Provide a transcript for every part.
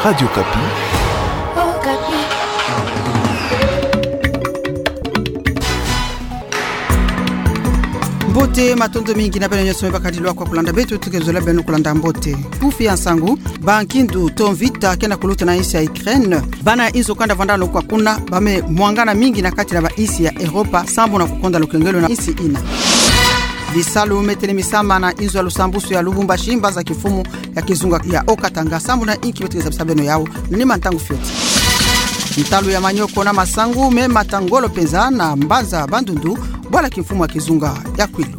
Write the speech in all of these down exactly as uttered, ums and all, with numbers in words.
Radio Okapi. Mbote, matondo mingi na beno nyonso me bakadi lwaka kulanda beto, tuke zola beno kulanda mbote. Kiufi ya nsangu: bankindu to mvita ke na kuluta na insi ya Ukraine. Bana inzo kanda vwanda longo kwa kuna, ba me mwangana mingi na kati na bainsi ya Europa, sambu na kukonda lukengelo na insi ina. Bisalu me telemisa mana inzo ya lusambusu ya Lubumbashi, mbanza kimfumu ya kizunga ya Haut-Katanga, sambu na inki beto ke zabisa beno yawu na nima ntangu fioti. Ntalu ya manioko na masangu me mata ngolo mpenza na mbanza Bandundu, bwala kimfumu ya kizunga ya Kwilu.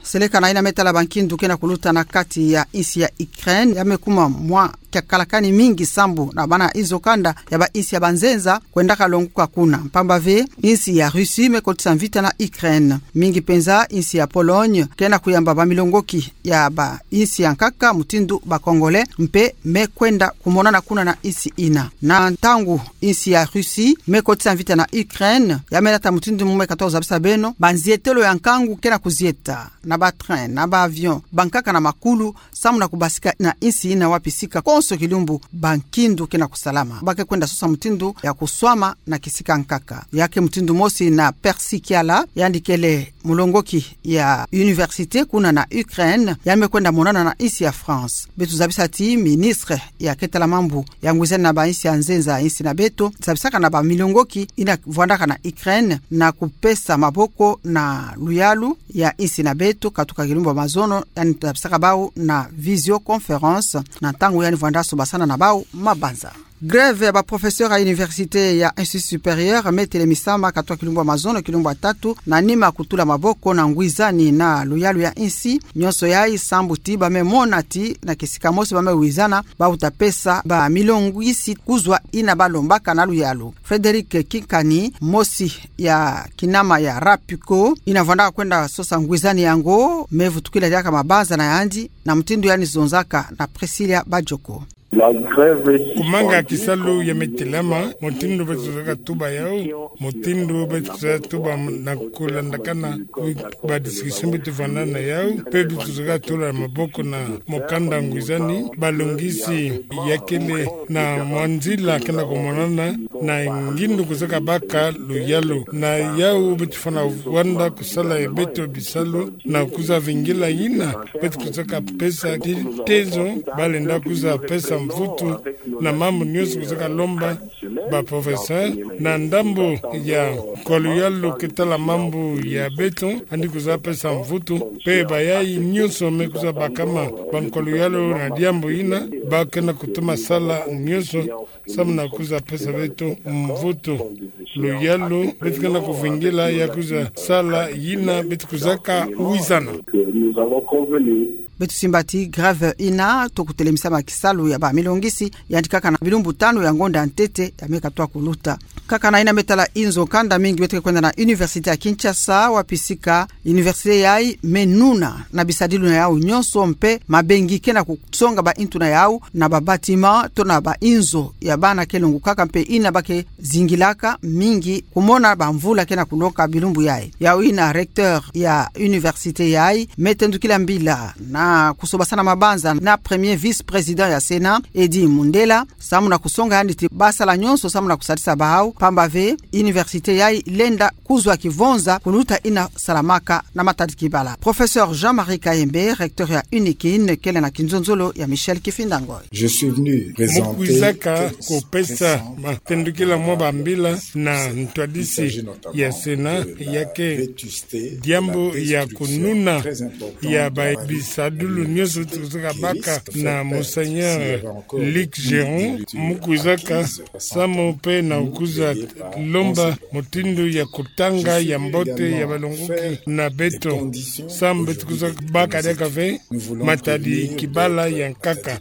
Seleka na yina me tala bankindu ke na kuluta na kati ya insi ya Ukraine, ya me kuma mwa kiakalakani mingi sambu na bana inzo kanda ya bainsi ya banzenza kwendaka longo kwa kuna. Mpamba ve, insi ya Russie me kotisa mvita na Ukraine. Mingi mpenza insi ya Pologne ke na kuyamba bamilongoki ya bainsi ya nkaka mutindu ba Congolais mpe me kwenda kumonana kuna na insi ina. Na ntangu insi ya Russie me kotisa mvita na Ukraine, ya me lata mutindu mu me katoka zabisa beno, banzietelo ya nkangu ke na kuzieta na ba train, na ba avion, bankaka na makulu, sambu na kubasika na insi ina wapi sika konso kilumbu bankindu ke na kusalama. Ba ke kwenda sosa mutindu ya kuswama na kisika nkaka. Ya ke mutindu mosi na Percy Kiala, yandi kele mulongoki ya université kuna na Ukraine, ya me kwenda monana na insi ya France. Beto zabisa ti ministre ya ke tala mambu ya ngwizani na bainsi ya nzenza, insi na beto, zabisaka na bamilongoki ina vwandaka na Ukraine na kupesa maboko na luyalu ya insi na beto, katuka kilumbu ya mazono, yandi zabisaka bawu na visioconférence, na ntangu yandi vwanda sobasana na bawu mabanza. Grève ya ba professeur ya université ya Institut Supérieur me telemisama katuka kilumbu ya mazono, kilumbu ya tatu, na nima kutula maboko na ngwizani na luyalu ya insi. Nyonso yayi sambu ti ba me mona ti na kisika mosi ba me wizana, ba uta pesa bamilongo isi kuzwa ina ba lombaka na luyalu. Frédéric Kinkani, mosi ya kinama ya Rapuco, ina vwandaka kwenda sosa ngwizani yango, me vutukila diaka mabanza na yandi, na mutindu yandi zonzaka na Priscilla Badjoko. Kumanga kisalu ya me telama, mutindu beto zaka tuba yawu, mutindu beto zaka tuba na kulandakana, ba discussion beto vanda na yawu, mpe beto zaka tula maboko na mukanda ngwizani, balongisi ya kele na mwa nzila ke na kumonana, na ngindu kuzaka baka luyalu. Na yawu beto fwana vwanda kusala ya beto bisalu, na kuza vingila ina beto kuzaka pesa ti tezo, ba lenda kuza pesa mvutu na mambu nyonso kuzaka lomba ba professeur, na ndambu ya nkwa luyalu ke tala mambu ya beto, yandi kuza pesa mvutu, mpe bayayi nyonso me kuza bakama ba nkwa luyalu na diambu ina, ba ke na kutuma sala nyonso, sambu na kuza pesa beto mvutu. Luyalu, beto ke na kuvingila ya kuza sala ina beto kuzaka wizana. Beto simba ti grève ina toko telemisama kisalu ya bamilongisi, yandi kaka na bilumbu tanu ya ngonda ntete ya me katuka kuluta. Kaka na ina me tala inzo kanda, mingi beto ke kwenda na Université ya Kinshasa, wapi sika université yayi me nuna na bisadilu na yawu nyonso, mpe mabengi ke na kusonga baintu na yawu na ba bâtiment to na bainzo ya bana ke longokaka mpe ina ba ke zingilaka, mingi kumona bamvula ke na kunoka bilumbu yayi. Yawu ina recteur ya université yayi me tendukila mbila na kusobasana mabanza na premier vice-président ya Sénat, Eddy Mundela, sambu na kusonga yandi ti ba sala nyonso sambu na kusadisa bawu, mpamba ve université yayi lenda kuzwa kivonza kuluta ina salamaka na matadi kibala. Professeur Jean-Marie Kayembe, recteur ya UNIKIN, kele na kinzonzolo ya Michel Kifinda Ngoi. Je suis venu présenter... Mu kwizaka kupesa matendukila mwa bambila na ntwadisi ya Sénat, ya ke diambu ya kununa ya ba bisadulu nyonso beto kuzaka baka na Monseigneur Luc Géron. Mu kwizaka sambu mpe na kuza lomba mutindu ya kutanga ya mbote ya balongoki na beto, sambu beto kuza baka diaka ve matadi kibala ya nkaka.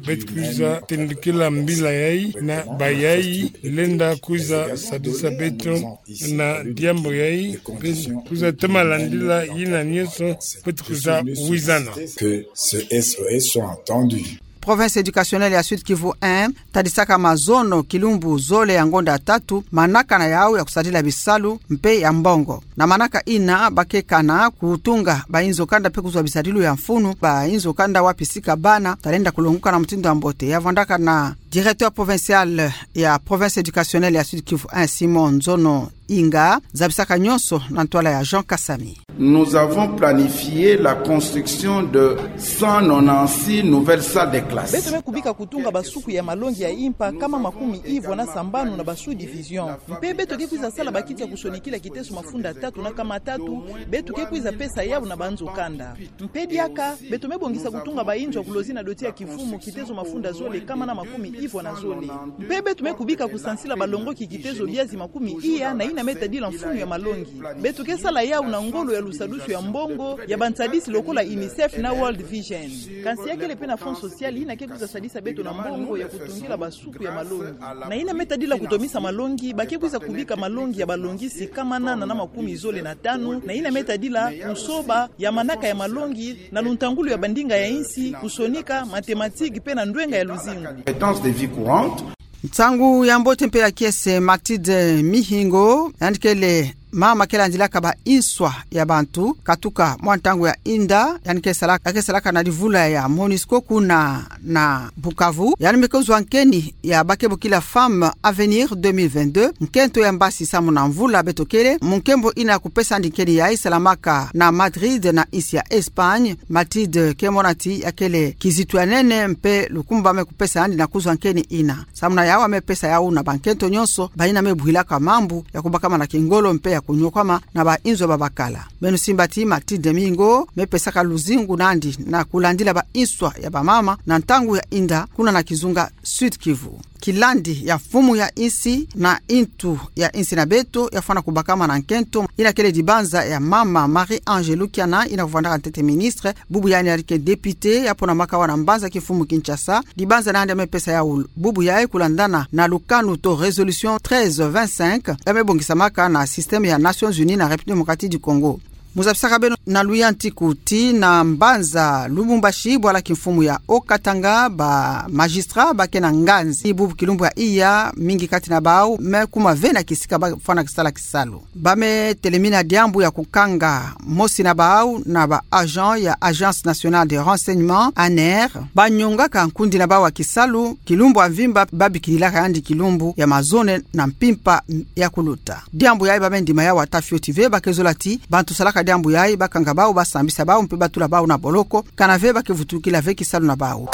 Beto kuza tendukila mbila yayi na bayayi lenda kuza sadisa beto na diambu yayi, mpe kuza toma landila ina nyonso beto kuza wizana. Que ce S O S soit entendu. province éducationnelle ya Sud-Kivu un tadisaka mazono kilumbu zole ya ngonda tatu manaka na yau ya kusadila bisalu mpe ya mbongo. Na manaka ina ba ke kana kutunga bainzo kanda mpe kuzwa bisadilu ya mfunu, bainzo kanda wapi sika bana talenda kulonguka na mutindu ya mbote. Ya vwandaka na directeur provincial ya province éducationnelle ya Sud-Kivu un, Simon Nzono Inga, zabisaka nyonso na ntwala ya Jean Kasami. Nous avons planifié la construction de cent nonante-six nouvelles salles de classe. Beto me kubika kutunga basuku ya malongi ya impa kama makumi ivwa na sambanu na ba sous-division. Mpe beto ke kwiza sala bakiti ya kusonikila kiteso mafunda tatu na kama tatu, beto ke kwiza pesa yau na banzo kanda. Mpe diaka, beto me bongisa kutunga bainzo ya kulozi na doti ya kivumu kiteso mafunda zole kama na makumi ivwa na zole. Mpe beto me kubika kusansila balongoki kiteso biazi makumi iya na ina me tadila mfunu ya malongi. Beto ke sala yau na ngolo ya lusadusu ya mbongo ya bansadisi lokola UNICEF na World Vision. Kansi ya kele mpe na fonds social ina ke kwiza sadisa beto na mbongo ya kutungila basuku ya malongi. Na ina me tadila kutomisa malongi, ba ke kwiza kubika malongi ya balongisi kama nana na makumi zole na tanu, na ina me tadila kusoba ya manaka ya malongi na luntangulu ya bandinga ya insi, kusonika, mathématiques mpe na ndwenga ya luzingu. Compétences de vie courante. Nsangu ya mbote mpe ya kiese. Mathilde Mihingo, yandi kele mama ke landilaka ba inswa ya bantu katuka mwa ntangu ya inda, yandi ke sala-, ke salaka na livula ya MONUSCO kuna na Bukavu. Yandi me kuzwa nkeni ya ba ke bokila Femmes Avenir deux mille vingt-deux, nkento ya mbasi samu na mvula beto kele, mu nkembo ina kupesa'andi nkeni yayi salamaka na Madrid na insi ya Espagne. Mathilde ke mona ti ya kele kizitu ya nene mpe lukumbu ba me kupesa'andi na kuzwa nkeni ina. Samu na yau a me pesa yau na bankento nyonso ba ina me buhilaka mambu ya kubakamana kingolo mpe ya kunyokwama na bainzo babakala. Beno simba ti Mathilde Mihingo me pesaka luzingu nandi na kulandila ba inswa ya bamama na ntangu ya inda kuna na kizunga Sud-Kivu. Kilandi ya mfumu ya insi na intu ya insi na beto ya fwana kubakamana nkento ina kele dibanza ya mama Marie-Ange Lukiana ina kuvwandaka ntete ministre, bubu yandi yandi ke député ya pona makawa na mbanza kimfumu Kinshasa. Dibanza nandi ya me pesa yau bubu yayi kulandana na lukanu to résolution treize vingt-cinq ya me bongisamaka na système ya Nations Unies na République Démocratique du Congo. Mu zabisaka beno na luyantiku ti na mbanza Lubumbashi, bwala kimfumu ya Haut-Katanga, ba magistrat ba ke na nganzi. Bubu kilumbu ya iya, mingi kati na bau me kuma ve na kisika ba fwana kisala kisalu. Ba me telemina diambu ya kukanga mosi na bau na ba agent ya Agence Nationale de Renseignement, ANR, ba nyongaka nkundi na bau ya kisalu, kilumbu ya mvimba ba bikililaka yandi kilumbu ya mazono na mpimpa ya kuluta. Diambu yayi ba me ndima yau ata fioti ve, ba ke zola ti bantu salaka diambu yayi ba kanga bau, ba sambisa bau mpe ba tula bau na boloko, kana ve ba ke vutukila ve kisalu na bau.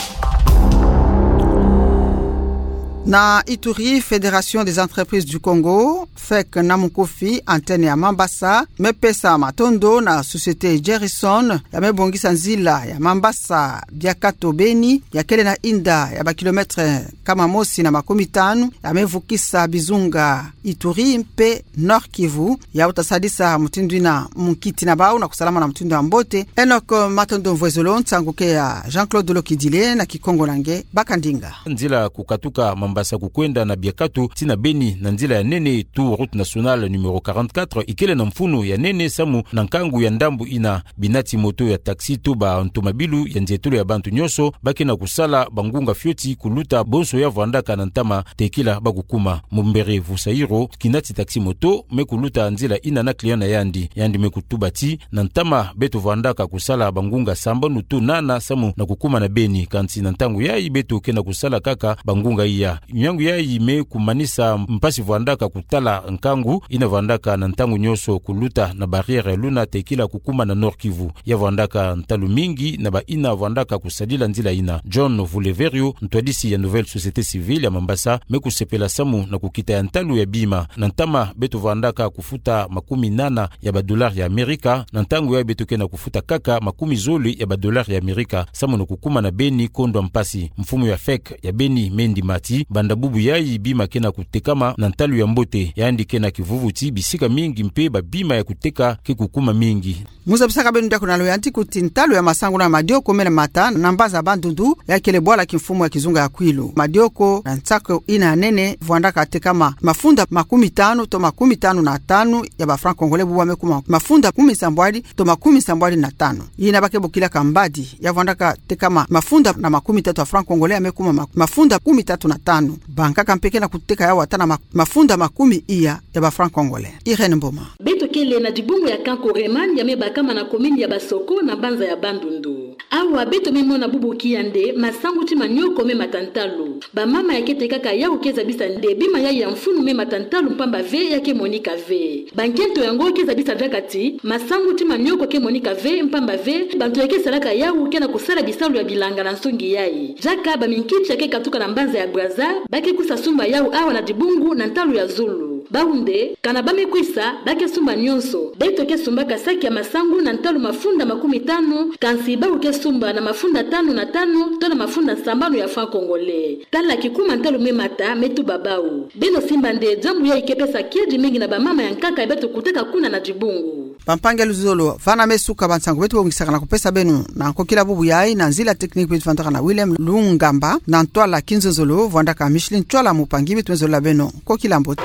Na Ituri, Fédération des Entreprises du Congo, FEC na munkufi, antenne ya Mambasa, me pesa matondo na société Gerrison ya me bongisa nzila ya Mambasa Biakato Beni, ya kele na inda ya ba kilomètre kama mosi na makumi tanu, ya me vukisa bizunga Ituri mpe Nord-Kivu, ya uta sadisa mutindu ina munkiti na bau na kusalama na mutindu ya mbote. Enoch Matondo Mvwezolo, nsangu ke ya Jean-Claude Lokidile na Kikongo na nge, baka ndinga. Nzila kukatuka Mambasa kukwenda na Biakato tii na Beni na nzila ya nene to route nationale numéro quarante-quatre ikele na mfunu ya nene samu na nkangu ya ndambu ina. Binati moto ya taxi to ba ntomabilu ya nzietolo ya bantu nyonso ba ke na kusala bangunga fioti kuluta bonso ya vwandaka na ntama tekila ba kukuma. Mumbere Vusairo, kinati taxi moto, me kuluta nzila ina na client na yandi. Yandi me kutuba ti na ntama beto vwandaka kusala bangunga sambanu to nana samu na kukuma na Beni, kansi na ntangu yayi beto ke na kusala kaka bangunga iya. Miangu yayi me kumanisa mpasi vwandaka kutala nkangu ina vwandaka na ntangu nyonso kuluta na barrière ya luna tekila kukuma na Nord-Kivu. Ya vwandaka ntalu mingi na ba ina vwandaka kusadila nzila ina. John Vuleverio, ntwadisi ya Nouvelle Société Civile ya Mambasa, me kusepela samu na kukita ya ntalu ya bima. Na ntama beto vwandaka kufuta makumi nana ya ba dollars ya Amerika, na ntangu yayi beto ke na kufuta kaka makumi zole ya ba dollars ya Amerika samu na kukuma na Beni kondwa mpasi. Mfumu ya FEC ya Beni me ndima ti Banda bubu yayi bima ke na kutekama na ntalu ya mbote, yandi ke na kivuvuti bisika mingi mpe babima ya kuteka ke kukuma mingi. Mu zabisaka beno diaku na loyantiku ti ntalu ya masangu na madioko mena mata na mbanza ya Bandundu, ya kele bwala kimfumu ya kizunga ya Kwilu. Madioko na nsako ina ya nene vwandaka tekama mafunda makumi tanu to makumi tanu na tanu ya ba francs congolais, bubu ya me kuma mafunda kumi nsambwadi to makumi nsambwadi na tanu. Ina ba ke bokilaka mbadi, ya vwandaka tekama mafunda na makumi tatu ya francs congolais, ya me kuma ma-, mafunda kumi tatu na tanu. Bankaka mpe ke na kuteka yawu ata na ma-, mafunda makumi iya ya ba francs congolais. Irène Mboma. Beto kele na dibungu ya Kankoreman ya me bakama na commune ya Basoko na mbanza ya Bandundu. Awa beto me mona bubu kia nde masangu ti manioko me mata ntalu. Bamama ya ke tekaka yawu ke zabisa nde bima yayi ya mfunu me mata ntalu mpamba ve ya ke monika ve. Bankento yango ke zabisa diaka ti masangu ti manioko ke monika ve mpamba ve bantu ya ke salaka yawu ke na kusala bisalu ya bilanga na nsungi yayi. Diaka baminkiti ya ke katuka na mbanza ya Brazza ba ke kwisa sumba yawu awa na dibungu na ntalu ya zulu. Bawu nde, kana ba me kwisa, ba ke sumba nyonso. Beto ke sumbaka saki ya masangu na ntalu mafunda makumi tanu, kansi bawu ke sumba na mafunda tanu na tanu to na mafunda sambanu ya francs congolais. Tala kikuma ntalu me mata me tuba bawu. Beno simba nde diambu yayi ke pesa kiadi mingi na bamama ya nkaka ya beto kutaka kuna na dibungu. Bampangi ya luzolo, vana me suka ba nsangu beto bongisaka na kupesa beno. Na nkokila bubu yayi, na nzila technique beto vandaka na Willem Lungamba, na ntwala kinzonzolo vwandaka Micheline Ntwala, mupangi beto me zolola beno. Nkokila mbote.